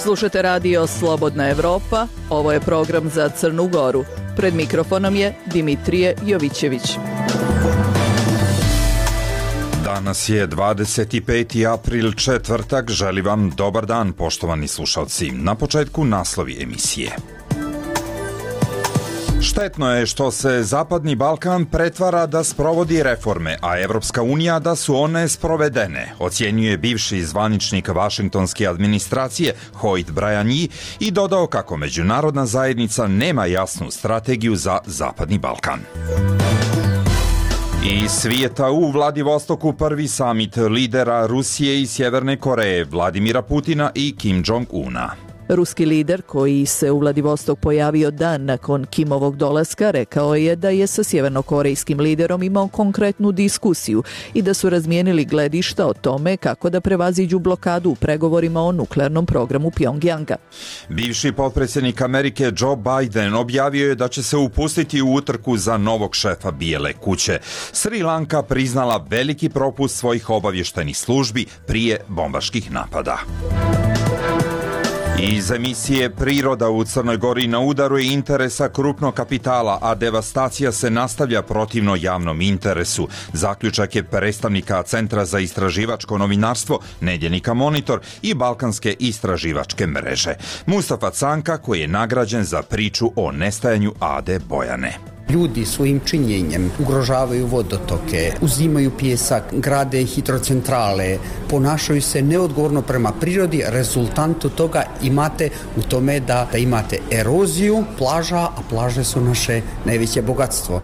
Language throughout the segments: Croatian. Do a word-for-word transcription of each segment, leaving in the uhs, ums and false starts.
Slušate radio Slobodna Evropa, ovo je program za Crnu Goru. Pred mikrofonom je Dimitrije Jovićević. Danas je dvadeset peti april, četvrtak. Želim vam dobar dan, poštovani slušalci. Na početku naslovi emisije. Štetno je što se Zapadni Balkan pretvara da sprovodi reforme, a Evropska unija da su one sprovedene, ocjenjuje bivši zvaničnik vašingtonske administracije Hoyt Bryan i dodao kako međunarodna zajednica nema jasnu strategiju za Zapadni Balkan. Iz svijeta u Vladivostoku prvi samit lidera Rusije i Sjeverne Koreje Vladimira Putina i Kim Jong-una. Ruski lider, koji se u Vladivostok pojavio dan nakon Kimovog dolaska, rekao je da je sa sjevernokorejskim liderom imao konkretnu diskusiju i da su razmijenili gledišta o tome kako da prevaziđu blokadu u pregovorima o nuklearnom programu Pjongjanga. Bivši potpredsjednik Amerike Joe Biden objavio je da će se upustiti u utrku za novog šefa Bijele kuće. Sri Lanka priznala veliki propust svojih obavještajnih službi prije bombaških napada. Iz emisije Priroda u Crnoj Gori na udaru je interesa krupnog kapitala, a devastacija se nastavlja protivno javnom interesu. Zaključak je predstavnika Centra za istraživačko novinarstvo, nedjeljnika Monitor i Balkanske istraživačke mreže. Mustafa Canka, koji je nagrađen za priču o nestajanju Ade Bojane. Ljudi svojim činjenjem ugrožavaju vodotoke, uzimaju pijesak, grade hidrocentrale, ponašaju se neodgovorno prema prirodi. Rezultantu toga imate u tome da, da imate eroziju plaža, a plaže su naše najveće bogatstvo.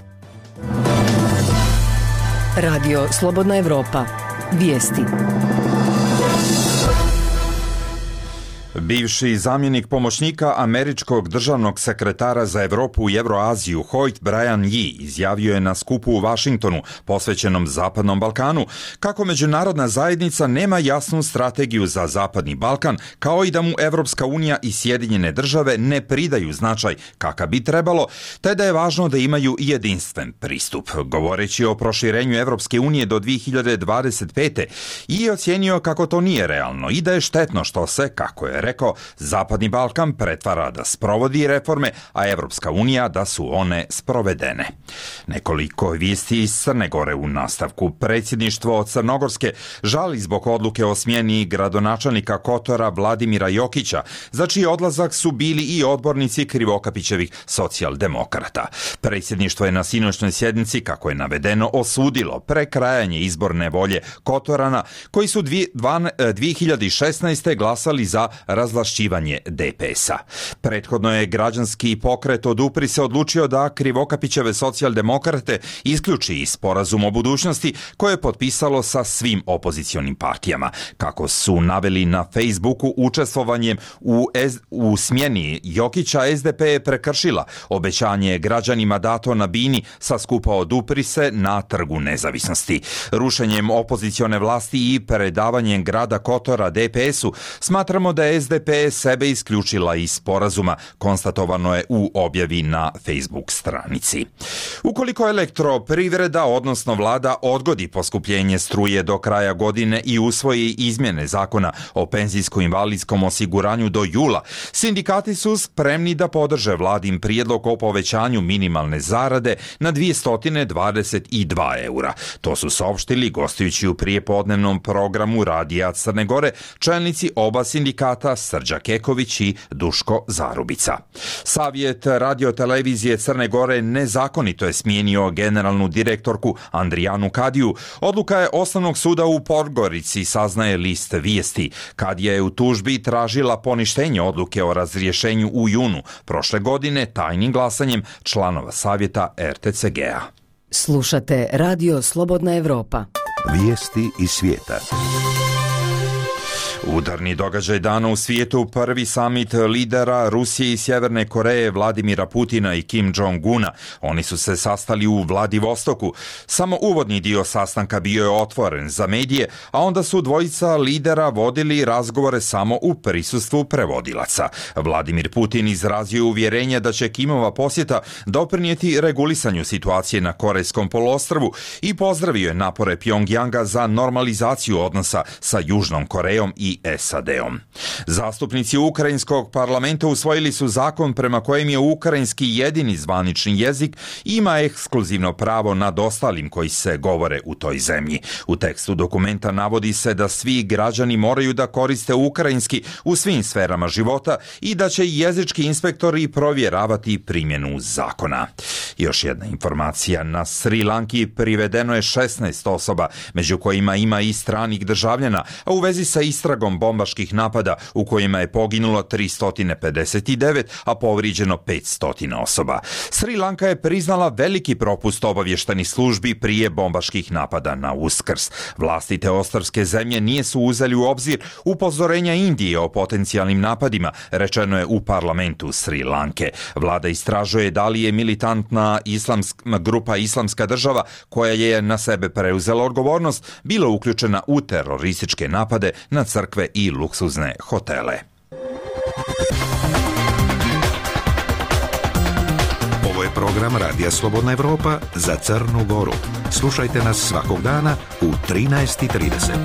Radio Slobodna Evropa. Vijesti. Bivši zamjenik pomoćnika američkog državnog sekretara za Europu i Euroaziju Hoyt Bryan izjavio je na skupu u Vašingtonu posvećenom Zapadnom Balkanu kako međunarodna zajednica nema jasnu strategiju za Zapadni Balkan, kao i da mu Evropska unija i Sjedinjene države ne pridaju značaj kakav bi trebalo, te da je važno da imaju jedinstven pristup. Govoreći o proširenju Evropske unije do dvije hiljade dvadeset pete i ocjenio kako to nije realno i da je štetno što se, kako je rekao, Zapadni Balkan pretvara da sprovodi reforme, a Evropska unija da su one sprovedene. Nekoliko vijesti iz Crne Gore u nastavku. Predsjedništvo Crnogorske žali zbog odluke o smjeni gradonačelnika Kotora Vladimira Jokića, za čiji odlazak su bili i odbornici Krivokapićevih socijaldemokrata. Predsjedništvo je na sinoćnoj sjednici, kako je navedeno, osudilo prekrajanje izborne volje Kotorana, koji su dvije hiljade šesnaeste. glasali za razvlašćivanje D P S-a. Prethodno je građanski pokret Odupri se odlučio da Krivokapićeve socijaldemokrate isključi iz sporazum o budućnosti koje je potpisalo sa svim opozicionim partijama. Kako su naveli na Facebooku, učestvovanjem u, S- u smjeni Jokića S D P je prekršila obećanje građanima dato na bini sa skupa Odupri se na Trgu nezavisnosti. Rušenjem opozicione vlasti i predavanjem grada Kotora D P S-u smatramo da je S D P sebe isključila iz sporazuma, konstatovano je u objavi na Facebook stranici. Ukoliko elektroprivreda, odnosno vlada, odgodi poskupljenje struje do kraja godine i usvoji izmjene zakona o penzijsko-invalidskom osiguranju do jula, sindikati su spremni da podrže vladin prijedlog o povećanju minimalne zarade na dvjesto dvadeset dva eura. To su saopštili gostujući u prijepodnevnom programu Radija Crne Gore čelnici oba sindikata Srđa Keković i Duško Zarubica. Savjet radiotelevizije Crne Gore nezakonito je smijenio generalnu direktorku Andrijanu Kadiju. Odluka je Osnovnog suda u Podgorici, saznaje list vijesti. Kadija je u tužbi tražila poništenje odluke o razrješenju u junu prošle godine tajnim glasanjem članova savjeta R T C G-a. Slušate Radio Slobodna Evropa. Vijesti iz svijeta. Udarni događaj dana u svijetu, prvi samit lidera Rusije i Sjeverne Koreje Vladimira Putina i Kim Jong-una. Oni su se sastali u Vladivostoku. Samo uvodni dio sastanka bio je otvoren za medije, a onda su dvojica lidera vodili razgovore samo u prisustvu prevodilaca. Vladimir Putin izrazio uvjerenje da će Kimova posjeta doprinijeti regulisanju situacije na Korejskom poluostrvu i pozdravio je napore Pjongjanga za normalizaciju odnosa sa Južnom Korejom i i S A D-om. Zastupnici ukrajinskog parlamenta usvojili su zakon prema kojem je ukrajinski jedini zvanični jezik ima ekskluzivno pravo nad ostalim koji se govore u toj zemlji. U tekstu dokumenta navodi se da svi građani moraju da koriste ukrajinski u svim sferama života i da će jezički inspektori provjeravati primjenu zakona. Još jedna informacija, na Sri Lanki privedeno je šesnaest osoba, među kojima ima i stranih državljana, a u vezi sa istragom bombaških napada u kojima je poginulo tristo pedeset devet, a povrijeđeno petsto osoba. Sri Lanka je priznala veliki propust obavještajnih službi prije bombaških napada na Uskrs. Vlasti te ostrvske zemlje nije su uzeli u obzir upozorenja Indije o potencijalnim napadima, rečeno je u parlamentu Sri Lanke. Vlada istražuje da li je militantna islamska grupa Islamska država, koja je na sebe preuzela odgovornost, bila uključena u terorističke napade na crkve i luksuzne hotele. Ovo je program Radija Slobodna Evropa za Crnu Goru. Slušajte nas svakog dana u trinaest i trideset.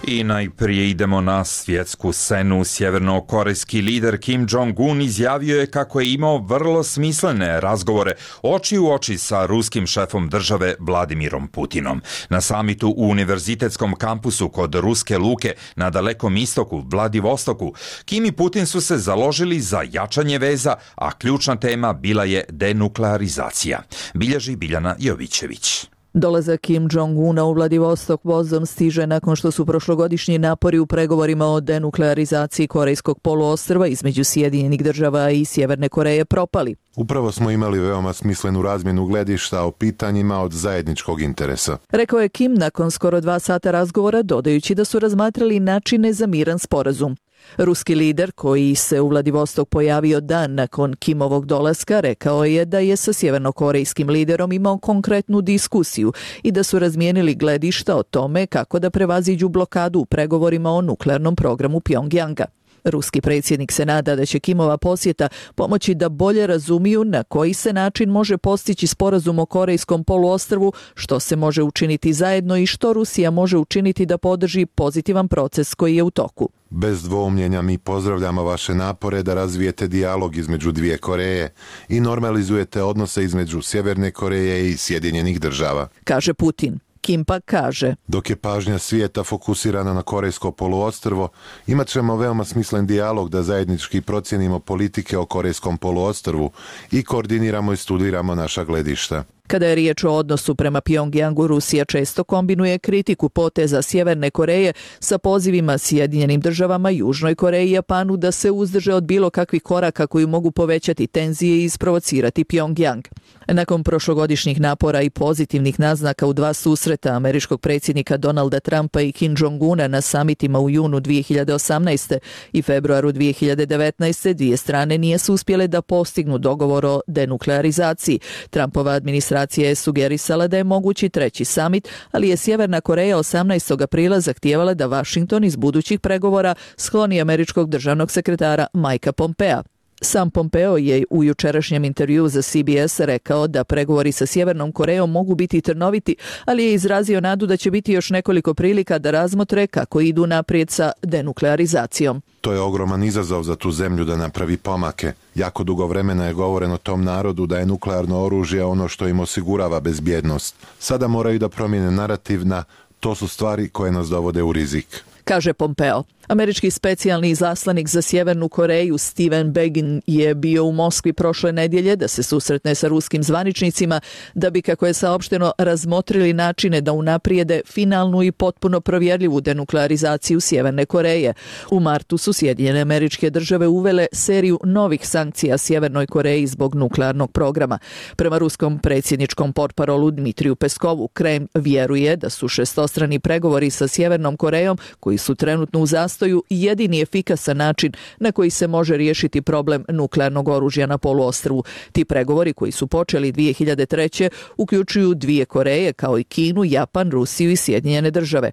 I najprije idemo na svjetsku scenu. Sjevernokorejski lider Kim Jong-un izjavio je kako je imao vrlo smislene razgovore oči u oči sa ruskim šefom države Vladimirom Putinom. Na samitu u univerzitetskom kampusu kod Ruske luke na Dalekom istoku, Vladivostoku, Kim i Putin su se založili za jačanje veza, a ključna tema bila je denuklearizacija. Bilježi Biljana Jovićević. Dolazak Kim Jong-una u Vladivostok vozom stiže nakon što su prošlogodišnji napori u pregovorima o denuklearizaciji Korejskog poluostrva između Sjedinjenih država i Sjeverne Koreje propali. Upravo smo imali veoma smislenu razmjenu gledišta o pitanjima od zajedničkog interesa. Rekao je Kim nakon skoro dva sata razgovora, dodajući da su razmatrali načine za miran sporazum. Ruski lider, koji se u Vladivostok pojavio dan nakon Kimovog dolaska, rekao je da je sa sjevernokorejskim liderom imao konkretnu diskusiju i da su razmijenili gledišta o tome kako da prevaziđu blokadu u pregovorima o nuklearnom programu Pjongjanga. Ruski predsjednik se nada da će Kimova posjeta pomoći da bolje razumiju na koji se način može postići sporazum o Korejskom poluostrvu, što se može učiniti zajedno i što Rusija može učiniti da podrži pozitivan proces koji je u toku. Bez dvoumljenja mi pozdravljamo vaše napore da razvijete dijalog između dvije Koreje i normalizujete odnose između Sjeverne Koreje i Sjedinjenih država, kaže Putin. Kim pak kaže: dok je pažnja svijeta fokusirana na Korejsko poluostrvo, imat ćemo veoma smislen dijalog da zajednički procijenimo politike o Korejskom poluostrvu i koordiniramo i studiramo naša gledišta. Kada je riječ o odnosu prema Pjongjangu, Rusija često kombinuje kritiku poteza Sjeverne Koreje sa pozivima Sjedinjenim državama, Južnoj Koreji i Japanu da se uzdrže od bilo kakvih koraka koji mogu povećati tenzije i isprovocirati Pjongjang. Nakon prošlogodišnjih napora i pozitivnih naznaka u dva susreta američkog predsjednika Donalda Trumpa i Kim Jong-una na samitima u junu dvije hiljade osamnaeste i februaru dvije hiljade devetnaeste, dvije strane nije su uspjele da postignu dogovor o denuklearizaciji. Trumpova administracija je sugerisala da je mogući treći samit, ali je Sjeverna Koreja osamnaestog aprila zahtijevala da Washington iz budućih pregovora skloni američkog državnog sekretara Mikea Pompea. Sam Pompeo je u jučerašnjem intervjuu za C B S rekao da pregovori sa Sjevernom Korejom mogu biti trnoviti, ali je izrazio nadu da će biti još nekoliko prilika da razmotre kako idu naprijed sa denuklearizacijom. To je ogroman izazov za tu zemlju da napravi pomake. Jako dugo vremena je govoreno tom narodu da je nuklearno oružje ono što im osigurava bezbjednost. Sada moraju da promijene narativ na to su stvari koje nas dovode u rizik, kaže Pompeo. Američki specijalni izaslanik za Sjevernu Koreju Steven Begin je bio u Moskvi prošle nedjelje da se susretne sa ruskim zvaničnicima da bi, kako je saopšteno, razmotrili načine da unaprijede finalnu i potpuno provjerljivu denuklearizaciju Sjeverne Koreje. U martu su Sjedinjene Američke Države uvele seriju novih sankcija Sjevernoj Koreji zbog nuklearnog programa. Prema ruskom predsjedničkom portparolu Dmitriju Peskovu, Kreml vjeruje da su šestostrani pregovori sa Sjevernom Korejom, koji su trenutno u zastoju, jedini efikasan način na koji se može riješiti problem nuklearnog oružja na poluostrvu. Ti pregovori, koji su počeli dvije hiljade treće, uključuju dvije Koreje kao i Kinu, Japan, Rusiju i Sjedinjene države.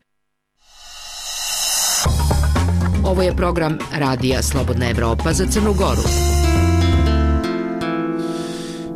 Ovo je program Radija Slobodna Evropa za Crnu Goru.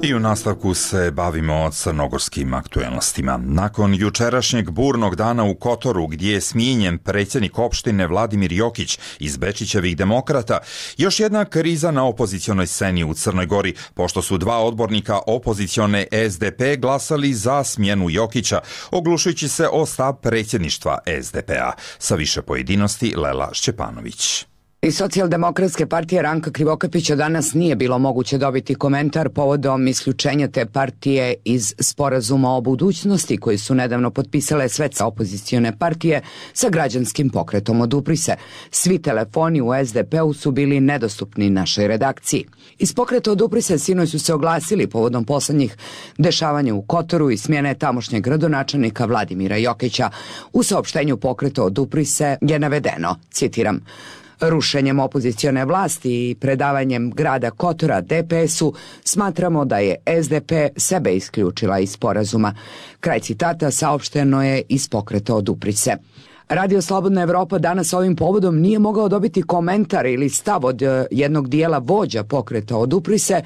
I u nastavku se bavimo crnogorskim aktuelnostima. Nakon jučerašnjeg burnog dana u Kotoru, gdje je smijenjen predsjednik opštine Vladimir Jokić iz Bečićevih demokrata, još jedna kriza na opozicionoj sceni u Crnoj Gori, pošto su dva odbornika opozicione S D P glasali za smjenu Jokića, oglušujući se o stav predsjedništva S D P-a. Sa više pojedinosti Lela Šćepanović. Iz Socijaldemokratske partije Ranka Krivokapića danas nije bilo moguće dobiti komentar povodom isključenja te partije iz sporazuma o budućnosti koji su nedavno potpisale sve opozicione partije sa građanskim pokretom Odupri se. Svi telefoni u S D P-u su bili nedostupni našoj redakciji. Iz pokreta Odupri se sinoć su se oglasili povodom poslednjih dešavanja u Kotoru i smjene tamošnjeg gradonačelnika Vladimira Jokića. U saopštenju pokreta Odupri se je navedeno, citiram: rušenjem opozicione vlasti i predavanjem grada Kotora D P S-u smatramo da je S D P sebe isključila iz sporazuma. Kraj citata saopšteno je iz pokreta Odupri se. Radio Slobodna Evropa danas ovim povodom nije mogao dobiti komentar ili stav od jednog dijela vođa pokreta Odupri se,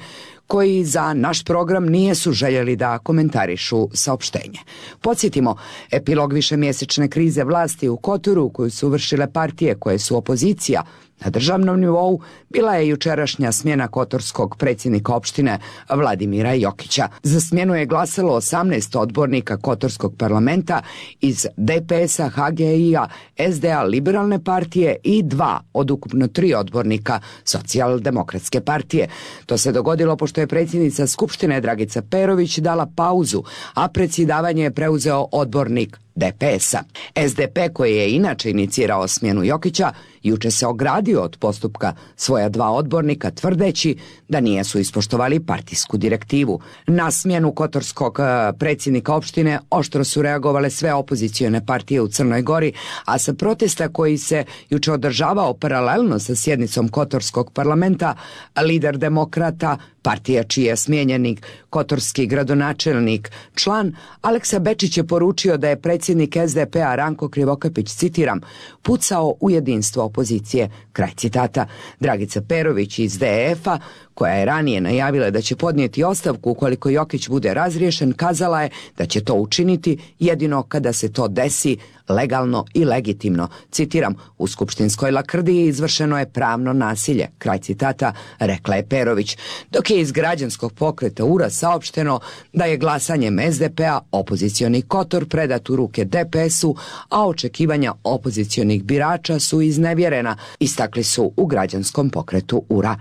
koji za naš program nije su željeli da komentarišu saopštenje. Podsjetimo, epilog višemjesečne krize vlasti u Kotoru koju su vršile partije koje su opozicija na državnom nivou bila je jučerašnja smjena kotorskog predsjednika opštine Vladimira Jokića. Za smjenu je glasalo osamnaest odbornika Kotorskog parlamenta iz D P S-a, H G I-a, S D A Liberalne partije i dva od ukupno tri odbornika Socijaldemokratske partije. To se dogodilo pošto je predsjednica Skupštine Dragica Perović dala pauzu, a predsjedavanje je preuzeo odbornik D P S-a. S D P, koji je inače inicirao smjenu Jokića, juče se ogradio od postupka svoja dva odbornika tvrdeći da nijesu ispoštovali partijsku direktivu. Na smjenu kotorskog predsjednika opštine oštro su reagovale sve opozicione partije u Crnoj Gori, a sa protesta koji se juče održavao paralelno sa sjednicom Kotorskog parlamenta, lider demokrata, partija čiji je smijenjenik kotorski gradonačelnik, član Aleksa Bečić je poručio da je predsjednik S D P-a Ranko Krivokapić, citiram, pucao u jedinstvo opozicije, kraj citata. Dragica Perović iz D E F-a, koja je ranije najavila da će podnijeti ostavku ukoliko Jokić bude razriješen, kazala je da će to učiniti jedino kada se to desi legalno i legitimno. Citiram, u skupštinskoj lakrdiji izvršeno je pravno nasilje, kraj citata, rekla je Perović, dok je iz građanskog pokreta U R A saopšteno da je glasanjem S D P-a opozicioni Kotor predat u ruke D P S-u, a očekivanja opozicionih birača su iznevjerena, istakli su u građanskom pokretu U R A.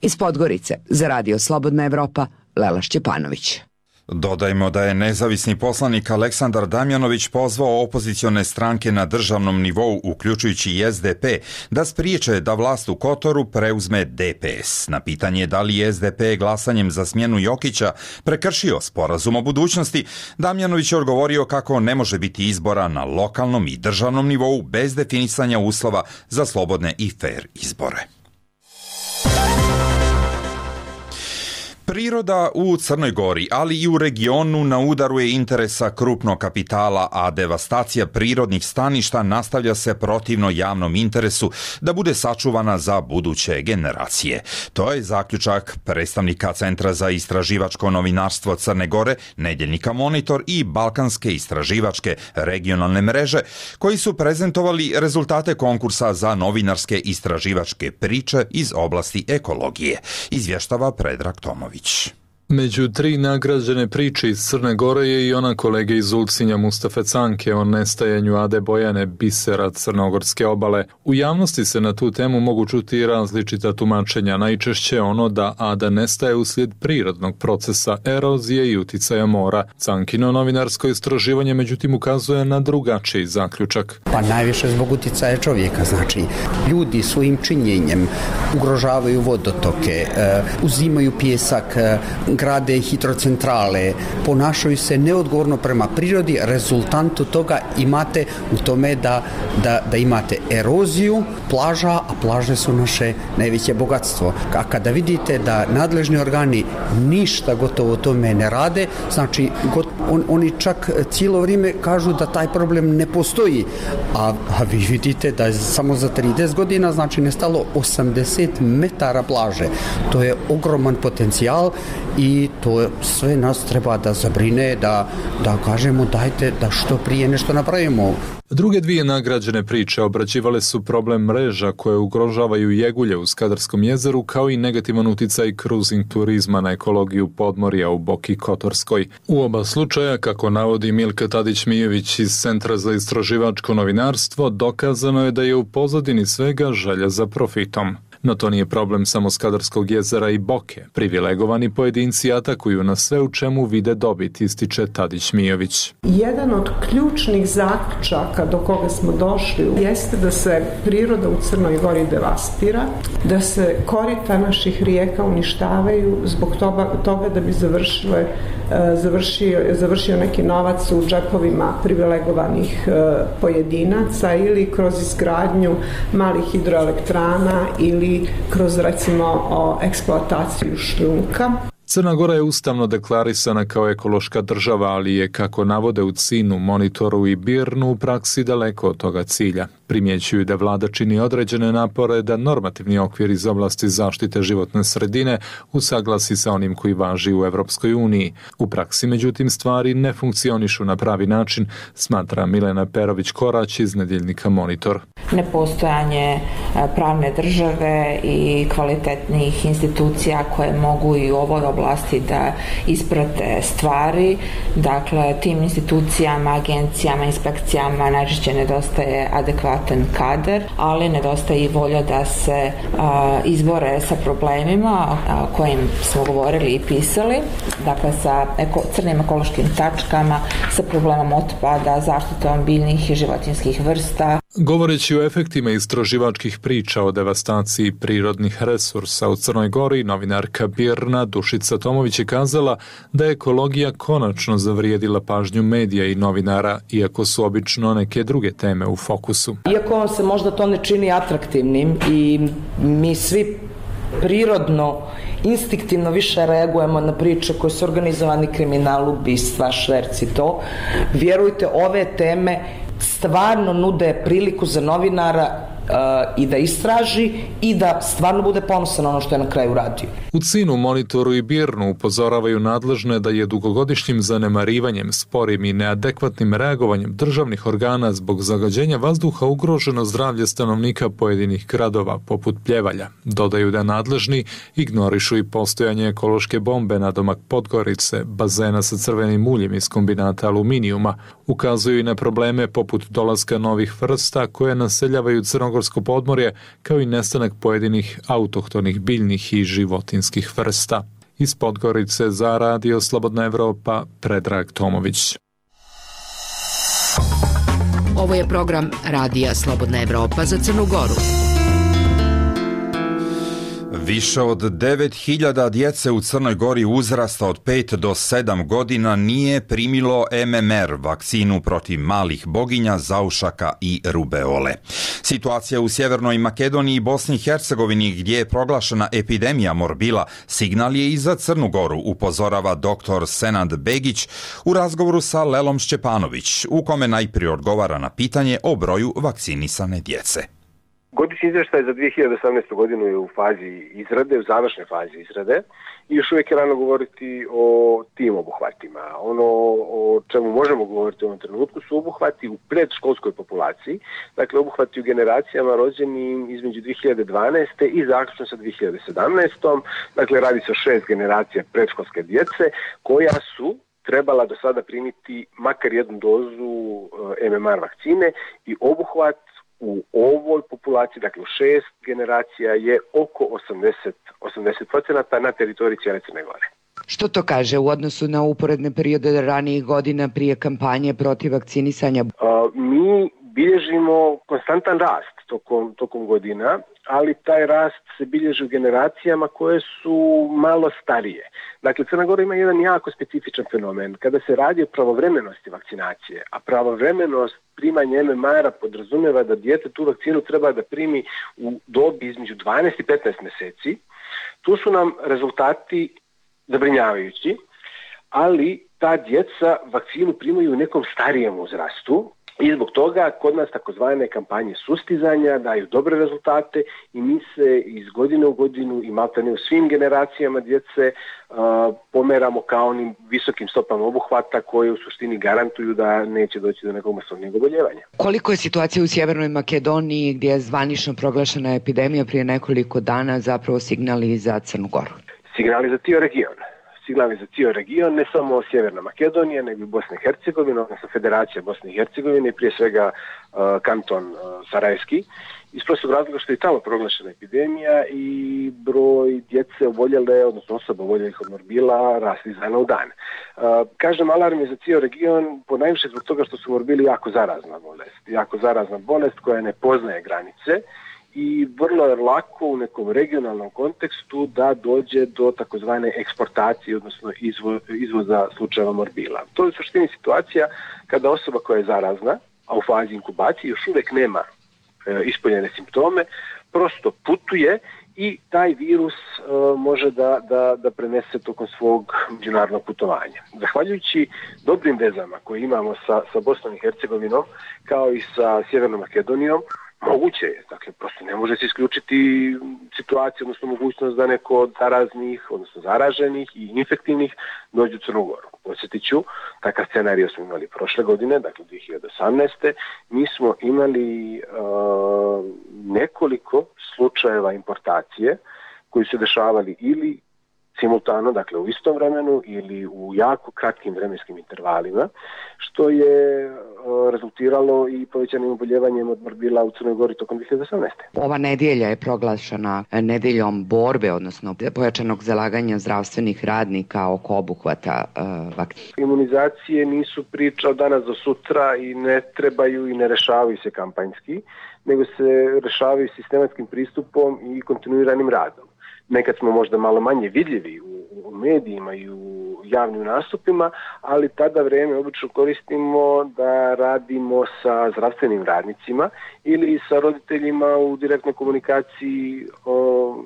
Iz Podgorice za Radio Slobodna Evropa, Lela Šćepanović. Dodajmo da je nezavisni poslanik Aleksandar Damjanović pozvao opozicione stranke na državnom nivou, uključujući i S D P, da spriječe da vlast u Kotoru preuzme D P S. Na pitanje da li je S D P glasanjem za smjenu Jokića prekršio sporazum o budućnosti, Damjanović je odgovorio kako ne može biti izbora na lokalnom i državnom nivou bez definisanja uslova za slobodne i fer izbore. Priroda u Crnoj Gori, ali i u regionu na udaru je interesa krupnog kapitala, a devastacija prirodnih staništa nastavlja se protivno javnom interesu da bude sačuvana za buduće generacije. To je zaključak predstavnika Centra za istraživačko novinarstvo Crne Gore, Nedjeljnika Monitor i Balkanske istraživačke regionalne mreže, koji su prezentovali rezultate konkursa za novinarske istraživačke priče iz oblasti ekologije, izvještava Predrag Tomović. Među tri nagrađene priče iz Crne Gore je i ona kolege iz Ulcinja Mustafe Canke o nestajanju Ade Bojane, bisera crnogorske obale. U javnosti se na tu temu mogu čuti različita tumačenja, najčešće ono da Ada nestaje uslijed prirodnog procesa erozije i uticaja mora. Cankino novinarsko istraživanje međutim ukazuje na drugačiji zaključak. Pa najviše zbog uticaja čovjeka, znači ljudi svojim činjenjem ugrožavaju vodotoke, uzimaju pijesak, grade hidrocentrale, ponašaju se neodgovorno prema prirodi, rezultantu toga imate u tome da, da, da imate eroziju plaža, a plaže su naše najveće bogatstvo. A kada vidite da nadležni organi ništa gotovo o tome ne rade, znači On, oni čak cijelo vrijeme kažu da taj problem ne postoji, a, a vi vidite da je samo za trideset godina znači nestalo osamdeset metara plaže. To je ogroman potencijal i to sve nas treba da zabrine, da, da kažemo dajte da što prije nešto napravimo. Druge dvije nagrađene priče obrađivale su problem mreža koje ugrožavaju jegulje u Skadarskom jezeru, kao i negativan uticaj cruising turizma na ekologiju podmorja u Boki Kotorskoj. U oba slučaja, kako navodi Milka Tadić-Mijević iz Centra za istraživačko novinarstvo, dokazano je da je u pozadini svega želja za profitom. No to nije problem samo Skadarskog jezera i Boke. Privilegovani pojedinci atakuju na sve u čemu vide dobit, ističe Tadić-Mijović. Jedan od ključnih zaključaka do koga smo došli jeste da se priroda u Crnoj Gori devastira, da se korita naših rijeka uništavaju zbog toga, toga da bi završile, završio, završio neki novac u džepovima privilegovanih pojedinaca ili kroz izgradnju malih hidroelektrana ili kroz recimo o eksploataciju šljunka. Crna Gora je ustavno deklarisana kao ekološka država, ali je, kako navode u C I N-u, Monitoru i B I R N-u, u praksi daleko od toga cilja. Primjećuju da vlada čini određene napore da normativni okvir iz oblasti zaštite životne sredine usaglasi sa onim koji važi u Evropskoj uniji. U praksi, međutim, stvari ne funkcionišu na pravi način, smatra Milena Perović-Korać iz nedjeljnika Monitor. Nepostojanje pravne države i kvalitetnih institucija koje mogu i u ovoj oblasti da isprate stvari. Dakle, tim institucijama, agencijama, inspekcijama najčešće nedostaje adekvatan kadar, ali nedostaje i volja da se a, izbore sa problemima o kojim smo govorili i pisali, dakle sa eko, crnim ekološkim tačkama, sa problemom otpada, zaštitom biljnih i životinjskih vrsta. Govoreći o efektima istraživačkih priča o devastaciji prirodnih resursa u Crnoj Gori, novinarka B I R N-a Dušica Tomović je kazala da je ekologija konačno zavrijedila pažnju medija i novinara, iako su obično neke druge teme u fokusu. Iako se možda to ne čini atraktivnim i mi svi prirodno, instinktivno više reagujemo na priče koje su organizovani kriminal, ubistva, šverci, to. Vjerujte, ove teme stvarno nude priliku za novinara uh, i da istraži i da stvarno bude ponosan na ono što je na kraju radio. U C I N-u, Monitoru i B I R N-u upozoravaju nadležne da je dugogodišnjim zanemarivanjem, sporim i neadekvatnim reagovanjem državnih organa zbog zagađenja vazduha ugroženo zdravlje stanovnika pojedinih gradova, poput Pljevalja. Dodaju da nadležni ignorišu i postojanje ekološke bombe na domak Podgorice, bazena sa crvenim uljem iz kombinata aluminijuma. Ukazuju i na probleme poput dolaska novih vrsta koje naseljavaju crnogorsko podmorje, kao i nestanak pojedinih autohtonih biljnih i životinskih vrsta. Iz Podgorice za Radio Slobodna Evropa, Predrag Tomović. Ovo je program Radija Slobodna Evropa za Crnu Goru. Više od devet hiljada djece u Crnoj Gori uzrasta od pet do sedam godina nije primilo M M R, vakcinu protiv malih boginja, zaušaka i rubeole. Situacija u Sjevernoj Makedoniji i Bosni i Hercegovini, gdje je proglašena epidemija morbila, signal je i za Crnu Goru, upozorava doktor Senad Begić u razgovoru sa Lelom Šćepanović, u kome najprije odgovara na pitanje o broju vakcinisane djece. Godišnji izvještaj za dvije hiljade osamnaestu. godinu je u fazi izrade, u završnoj fazi izrade i još uvijek je rano govoriti o tim obuhvatima. Ono o čemu možemo govoriti u ovom trenutku su obuhvati u predškolskoj populaciji, dakle obuhvati u generacijama rođenim između dvije hiljade dvanaeste. i zaključno sa dvije hiljade sedamnaestom. Dakle, radi se o šest generacija predškolske djece koja su trebala do sada primiti makar jednu dozu M M R vakcine i obuhvat u ovoj populaciji, dakle u šest generacija, je oko osamdeset procenata na teritoriji cijele Crne Gore. Što to kaže u odnosu na uporedne periode ranijih godina prije kampanje protiv vakcinisanja? Uh, mi bilježimo konstantan rast tokom, tokom godina, ali taj rast se bilježi u generacijama koje su malo starije. Dakle, Crna Gora ima jedan jako specifičan fenomen. Kada se radi o pravovremenosti vakcinacije, a pravovremenost primanja M M R-a podrazumijeva da dijete tu vakcinu treba da primi u dobi između dvanaest i petnaest mjeseci, tu su nam rezultati zabrinjavajući. ali ta djeca vakcinu primaju u nekom starijem uzrastu. I zbog toga kod nas takozvane kampanje sustizanja daju dobre rezultate i mi se iz godine u godinu i maltene u svim generacijama djece uh, pomeramo ka onim visokim stopama obuhvata koje u suštini garantuju da neće doći do nekog masovnijeg oboljevanja. Koliko je situacija u Sjevernoj Makedoniji gdje je zvanično proglašena epidemija prije nekoliko dana zapravo signali za Crnu Goru? Signali za cijel region. Signali za cijel region, ne samo Sjeverna Makedonija, nego i Bosna i Hercegovina, odnosno Federacija Bosne i Hercegovine i prije svega uh, kanton uh, Sarajevski. Iz prostog razloga što je tamo proglašena epidemija i broj djece oboljele, odnosno osoba oboljelih od morbila rasti iz dana u dan. Uh, kažem, alarm je za cijel region ponajviše zbog toga što su morbili jako zarazna bolest. Jako zarazna bolest koja ne poznaje granice i vrlo je lako u nekom regionalnom kontekstu da dođe do takozvane eksportacije, odnosno izvo, izvoza slučajeva morbila. To je u suštini situacija kada osoba koja je zarazna, a u fazi inkubacije još uvijek nema e, ispoljene simptome, prosto putuje i taj virus e, može da, da, da prenese tokom svog međunarodnog putovanja. Zahvaljujući dobrim vezama koje imamo sa, sa Bosnom i Hercegovinom, kao i sa Sjevernom Makedonijom, moguće je, dakle, prosto ne može se isključiti situaciju, odnosno mogućnost da neko od zaraznih, odnosno zaraženih i infektivnih dođe u Crnu Goru. Podsjetit ću, takav scenarij smo imali prošle godine, dakle dvije hiljade osamnaeste. Mi smo imali uh, nekoliko slučajeva importacije koji su dešavali ili simultano, dakle u istom vremenu ili u jako kratkim vremenskim intervalima, što je uh, rezultiralo i povećanim oboljevanjem od morbila u Crnoj Gori tokom dvije hiljade osamnaeste. Ova nedjelja je proglašena nedeljom borbe, odnosno pojačanog zalaganja zdravstvenih radnika oko obuhvata uh, vakcina. Imunizacije nisu priča od danas do sutra i ne trebaju i ne rešavaju se kampanjski, nego se rešavaju sistematskim pristupom i kontinuiranim radom. Nekad smo možda malo manje vidljivi u, u medijima i u javnim nastupima, ali tada vreme obično koristimo da radimo sa zdravstvenim radnicima ili sa roditeljima u direktnoj komunikaciji o,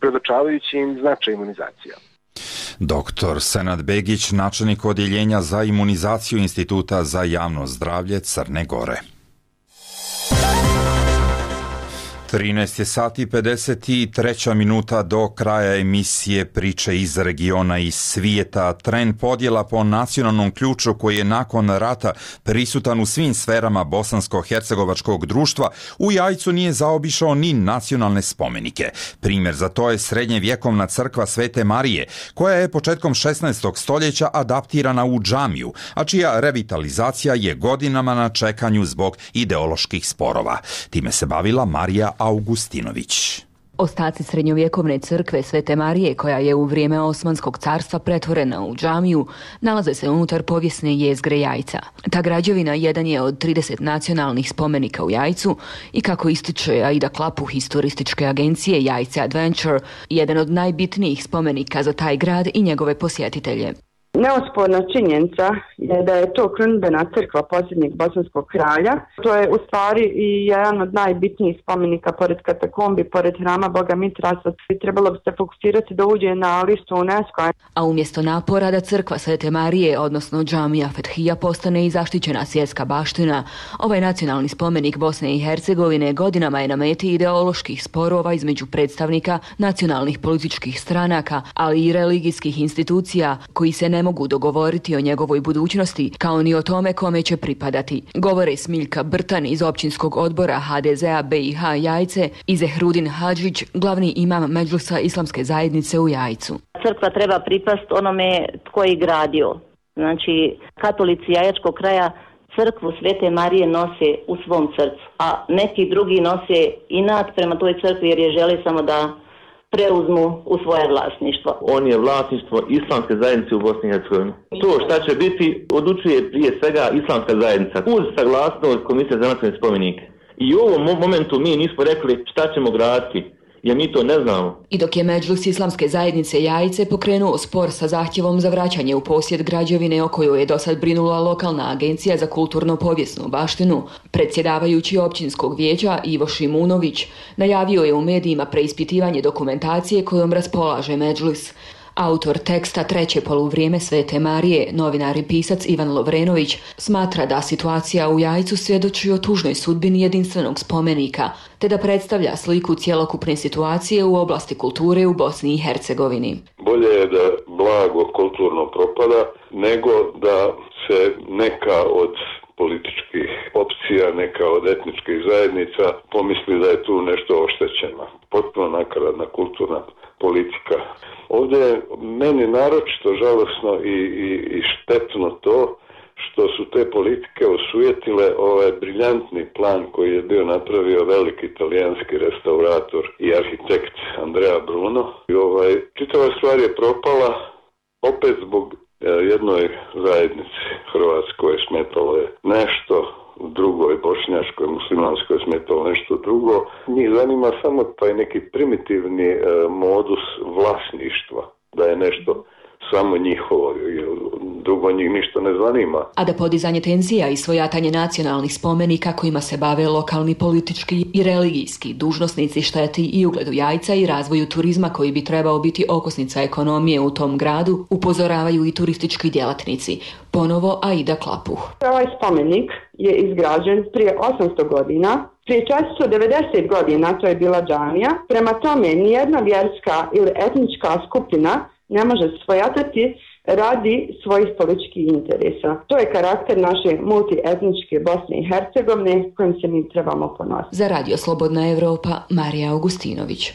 predočavajući im značaj imunizacija. Doktor Senad Begić, načelnik odjeljenja za imunizaciju Instituta za javno zdravlje Crne Gore. trinaest je sati pedeset tri minuta do kraja emisije Priče iz regiona i svijeta. Trend podjela po nacionalnom ključu koji je nakon rata prisutan u svim sferama bosansko-hercegovačkog društva u Jajcu nije zaobišao ni nacionalne spomenike. Primjer za to je srednjevjekovna crkva Svete Marije, koja je početkom šesnaestog stoljeća adaptirana u džamiju, a čija revitalizacija je godinama na čekanju zbog ideoloških sporova. Time se bavila Marija Augustinović. Ostaci srednjovjekovne crkve Svete Marije, koja je u vrijeme Osmanskog carstva pretvorena u džamiju, nalaze se unutar povijesne jezgre Jajca. Ta građevina jedan je od trideset nacionalnih spomenika u Jajcu i, kako ističe Aida Klapuh iz turističke agencije Jajce Adventure, jedan od najbitnijih spomenika za taj grad i njegove posjetitelje. Neosporna činjenica je da je to krunidbena crkva posljednjeg bosanskog kralja. To je u stvari i jedan od najbitnijih spomenika pored katakombi, pored hrama Boga Mitrasa. Trebalo bi se fokusirati da uđe na listu UNESCO. A umjesto napora da crkva Svete Marije, odnosno džamija Fethija, postane i zaštićena svjetska baština, ovaj nacionalni spomenik Bosne i Hercegovine godinama je na meti ideoloških sporova između predstavnika nacionalnih političkih stranaka, ali i religijskih institucija koji se ne mogu dogovoriti o njegovoj budućnosti, kao ni o tome kome će pripadati. Govore Smiljka Brtan iz općinskog odbora ha de zea be i ha Jajce i Zehrudin Hadžić, glavni imam Medžlisa islamske zajednice u Jajcu. Crkva treba pripast onome tko je gradio. Znači, katolici Jajačkog kraja crkvu Svete Marije nose u svom srcu, a neki drugi nose inat prema toj crkvi jer je žele samo da preuzmu u svoje vlasništvo. On je vlasništvo islamske zajednice u Bosni i Hercegovini. To šta će biti odlučuje prije svega islamska zajednica uz saglasnost Komisije za nacionalne spomenike. I u ovom momentu mi nismo rekli šta ćemo graditi, jer mi to ne znamo. I dok je Medžlis islamske zajednice Jajce pokrenuo spor sa zahtjevom za vraćanje u posjed građevine o kojoj je dosad brinula lokalna agencija za kulturno-povijesnu baštinu, predsjedavajući općinskog vijeća Ivo Šimunović najavio je u medijima preispitivanje dokumentacije kojom raspolaže Medžlis. Autor teksta Treće poluvrijeme Svete Marije, novinar i pisac Ivan Lovrenović, smatra da situacija u Jajcu svjedoči o tužnoj sudbini jedinstvenog spomenika, te da predstavlja sliku cjelokupne situacije u oblasti kulture u Bosni i Hercegovini. Bolje je da blago kulturno propada, nego da se neka od političkih opcija, neka od etničkih zajednica pomisli da je tu nešto oštećeno. Potpuno nakaradna kulturna politika. Ovdje je meni naročito žalosno i, i, i štetno to što su te politike osujetile ovaj briljantni plan koji je bio napravio veliki italijanski restaurator i arhitekt Andrea Bruno. I ovaj, čitava stvar je propala opet zbog jednoj zajednici Hrvatskoj smetalo je nešto, drugoj bošnjaškoj, muslimanskoj smetalo nešto drugo. Njih zanima samo taj neki primitivni e, modus vlasništva, da je nešto samo njihovo, drugo njih ništa ne zanima. A da podizanje tenzija i svojatanje nacionalnih spomenika kojima se bave lokalni politički i religijski dužnosnici šteti i ugledu Jajca i razvoju turizma koji bi trebao biti okosnica ekonomije u tom gradu, upozoravaju i turistički djelatnici. Ponovo Aida Klapuh. Ovaj spomenik je izgrađen prije osamsto godina. Prije četiristo devedeset godina to je bila džamija. Prema tome, nijedna vjerska ili etnička skupina ne može svojatati radi svojih političkih interesa. To je karakter naše multietničke Bosne i Hercegovine kojim se mi trebamo ponositi. Za Radio Slobodna Evropa, Marija Augustinović.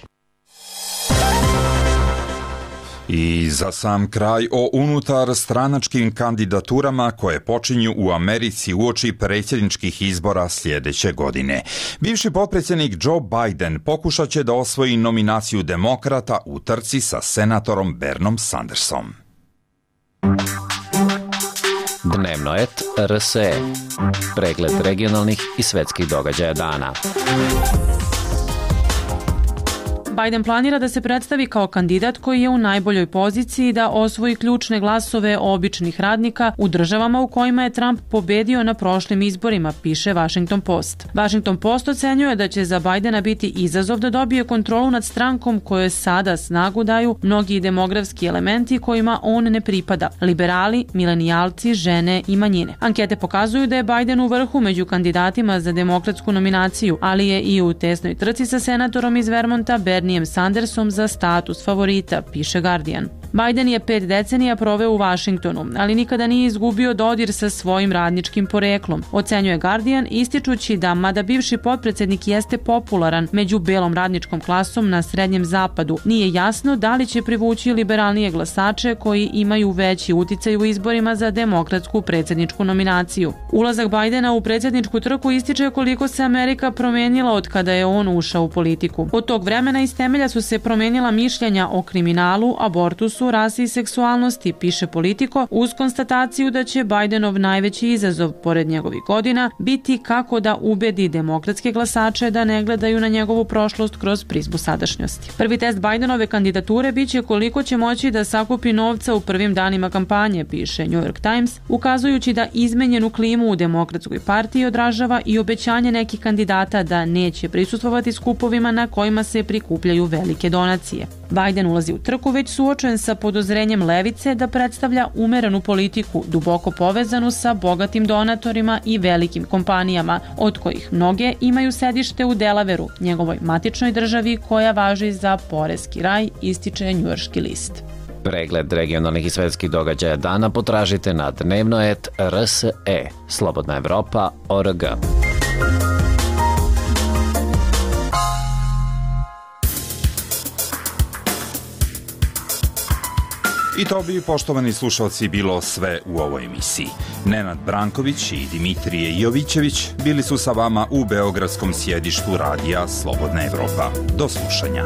I za sam kraj o unutar stranačkim kandidaturama koje počinju u Americi uoči predsjedničkih izbora sljedeće godine. Bivši potpredsjednik Joe Biden pokušat će da osvoji nominaciju demokrata u trci sa senatorom Bernom Sandersom. Dnevno et R S E. Pregled regionalnih i svetskih događaja dana. Biden planira da se predstavi kao kandidat koji je u najboljoj poziciji da osvoji ključne glasove običnih radnika u državama u kojima je Trump pobedio na prošlim izborima, piše Washington Post. Washington Post ocenjuje da će za Bidena biti izazov da dobije kontrolu nad strankom kojoj sada snagu daju mnogi demografski elementi kojima on ne pripada, liberali, milenijalci, žene i manjine. Ankete pokazuju da je Biden u vrhu među kandidatima za demokratsku nominaciju, ali je i u tesnoj trci sa senatorom iz Vermonta Bernijem Sandersom za status favorita, piše Guardian. Biden je pet decenija proveo u Vašingtonu, ali nikada nije izgubio dodir sa svojim radničkim poreklom, ocenjuje Guardian, ističući da, mada bivši potpredsjednik jeste popularan među belom radničkom klasom na Srednjem zapadu, nije jasno da li će privući liberalnije glasače koji imaju veći uticaj u izborima za demokratsku predsjedničku nominaciju. Ulazak Bidena u predsjedničku trku ističe koliko se Amerika promenila od kada je on ušao u politiku. Od tog vremena iz temelja su se promenila mišljenja o kriminalu, abortusu, rasi i seksualnosti, piše Politico, uz konstataciju da će Bidenov najveći izazov, pored njegovih godina, biti kako da ubedi demokratske glasače da ne gledaju na njegovu prošlost kroz prizmu sadašnjosti. Prvi test Bidenove kandidature biće koliko će moći da sakupi novca u prvim danima kampanje, piše New York Times, ukazujući da izmenjenu klimu u demokratskoj partiji odražava i obećanje nekih kandidata da neće prisustvovati skupovima na kojima se prikupljaju velike donacije. Biden ulazi u trku već suočen sa podozrenjem levice da predstavlja umerenu politiku, duboko povezanu sa bogatim donatorima i velikim kompanijama, od kojih mnoge imaju sedište u Delaveru, njegovoj matičnoj državi koja važi za poreski raj, ističe njujorški list. Pregled regionalnih i svetskih događaja dana potražite na dnevno et R S E, Slobodna Evropa, O R G. I to bi, poštovani slušalci, bilo sve u ovoj emisiji. Nenad Branković i Dimitrije Jovićević bili su sa vama u beogradskom sjedištu radija Slobodna Evropa. Do slušanja.